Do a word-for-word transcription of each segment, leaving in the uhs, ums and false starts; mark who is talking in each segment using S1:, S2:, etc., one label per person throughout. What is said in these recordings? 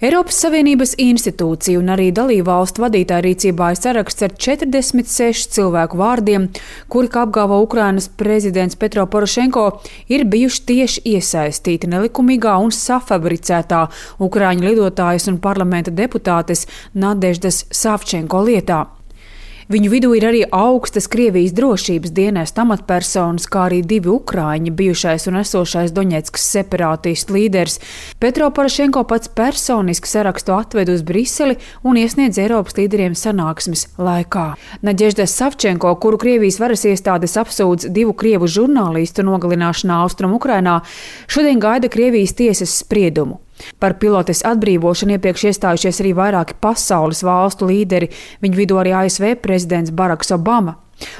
S1: Eiropas Savienības institūciju un arī dalībvalstu vadītāju rīcībā ir saraksts ar četrdesmit sešu cilvēku vārdiem, kuri, kā apgalvo Ukrainas prezidents Petro Porošenko, ir bijuši tieši iesaistīti nelikumīgā un safabricētā ukraiņu lidotājas un parlamenta deputātes Nadeždas Savčenko lietā. Viņu vidū ir arī augstas Krievijas drošības dienesta amatpersonas, kā arī divi ukraiņi, bijušais un esošais Doņetskas separātistu līderis. Petro Porošenko pats personiski sarakstu atved uz Briseli un iesniedz Eiropas līderiem sanāksmes laikā. Nadežda Savčenko, kuru Krievijas varas iestādes apsūdz divu krievu žurnālistu nogalināšanā Austrum Ukrainā, šodien gaida Krievijas tiesas spriedumu. Par pilotes atbrīvošanu iepriekš iestājušies arī vairāki pasaules valstu līderi, viņu vidū arī A S V prezidents Baraks Obama.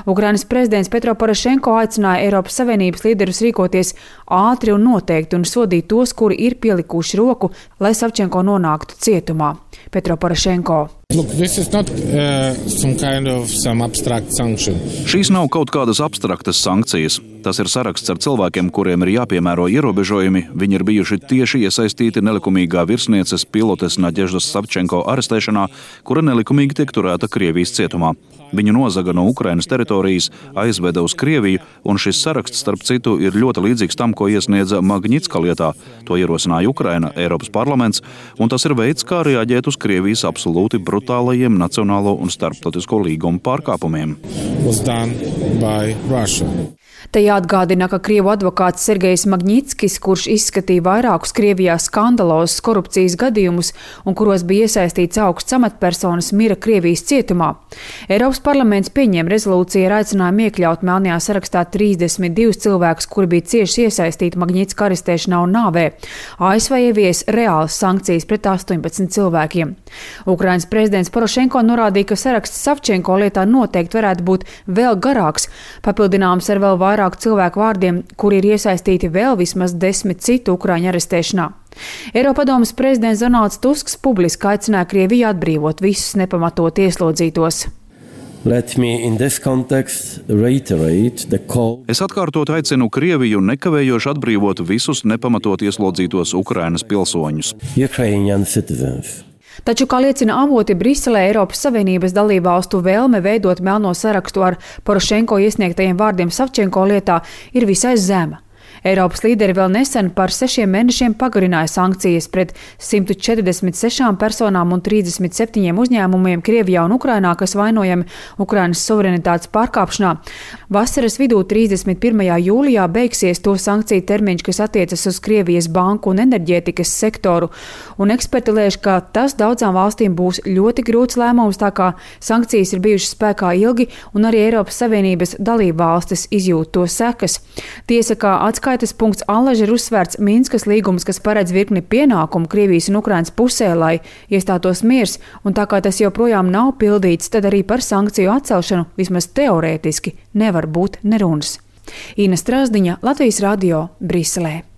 S1: Ukrainas prezidents Petro Porošenko aicināja Eiropas Savienības līderus rīkoties ātri un noteikti un sodīt tos, kuri ir pielikuši roku, lai Savčenko nonāktu cietumā. Petro Porošenko.
S2: Look, this is not uh, some kind of some abstract sanction.
S3: Šīs nav kaut kādas abstraktas sankcijas. Tas ir saraksts ar cilvēkiem, kuriem ir jāpiemēro ierobežojumi. Viņi ir bijuši tieši iesaistīti nelikumīgā virsnieces pilotes Nadeždas Savčenko arestēšanā, kura nelikumīgi tiek turēta Krievijas cietumā. Viņu nozaga no Ukrainas teritorijas, aizveda uz Krieviju, un šis saraksts, starp citu, ir ļoti līdzīgs tam, ko iesniedza Magnitska lietā. To ierosināja Ukraina, Eiropas parlaments, un tas ir veids, kā reaģēt uz Krievijas absolūti brutālajiem nacionālo un starptautisko līgumu pārkāpumiem.
S1: Te jāatgādina, ka Krievu advokāts Sergejs Magnitskis, kurš izskatīja vairākus Krievijā skandalozus korupcijas gadījumus un kuros bija iesaistīts augsts amatpersonas, mira Krievijas cietumā. Eiropas parlaments pieņēma rezolūciju ar aicinājumu iekļaut melnajā sarakstā trīsdesmit divus cilvēkus, kuri bija cieši iesaistīti Magnitska arestēšanā un nāvē. A S V ievies reālas sankcijas pret astoņpadsmit cilvēkiem. Ukrainas prezidents Porošenko norādīja, ka saraksts Savčenko lietā noteikti varētu būt vēl garāks, papildināms ar vēl vairāk cilvēku vārdiem, kuri ir iesaistīti vēl vismaz desmit citu ukraiņu arestēšanā. Eiropadomes prezidents Donalds Tusks publiski aicināja Krieviju atbrīvot visus nepamatot ieslodzītos.
S3: Es atkārtot aicinu Krieviju nekavējoši atbrīvot visus nepamatot ieslodzītos Ukrainas pilsoņus.
S1: Taču, kā liecina avoti Briselē, Eiropas Savienības dalībvalstu vēlme veidot melno sarakstu ar Porošenko iesniegtajiem vārdiem Savčenko lietā ir visai zema. Eiropas līderi vēl nesen par sešiem mēnešiem pagarināja sankcijas pret simt četrdesmit sešām personām un trīsdesmit septiņiem uzņēmumiem Krievijā un Ukrainā, kas vainojami Ukrainas suverenitātes pārkāpšanā. Vasaras vidū trīsdesmit pirmajā jūlijā beigsies to sankciju termiņš, kas attiecas uz Krievijas banku un enerģētikas sektoru, un eksperti lēš, ka tas daudzām valstīm būs ļoti grūts lēmums, tā kā sankcijas ir bijušas spēkā ilgi, un arī Eiropas Savienības dalībvalstis izjūt to sekas. Tiesa, kā atskaitas punkts allaž ir uzsvērts Minskas līgums, kas paredz virkni pienākumu Krievijas un Ukrainas pusē, lai iestātos miers, un tā kā tas joprojām nav pildīts, tad arī par sankciju atcelšanu vismaz teorētiski nevar būt nerunas. Ina Strasdiņa, Latvijas radio, Briselē.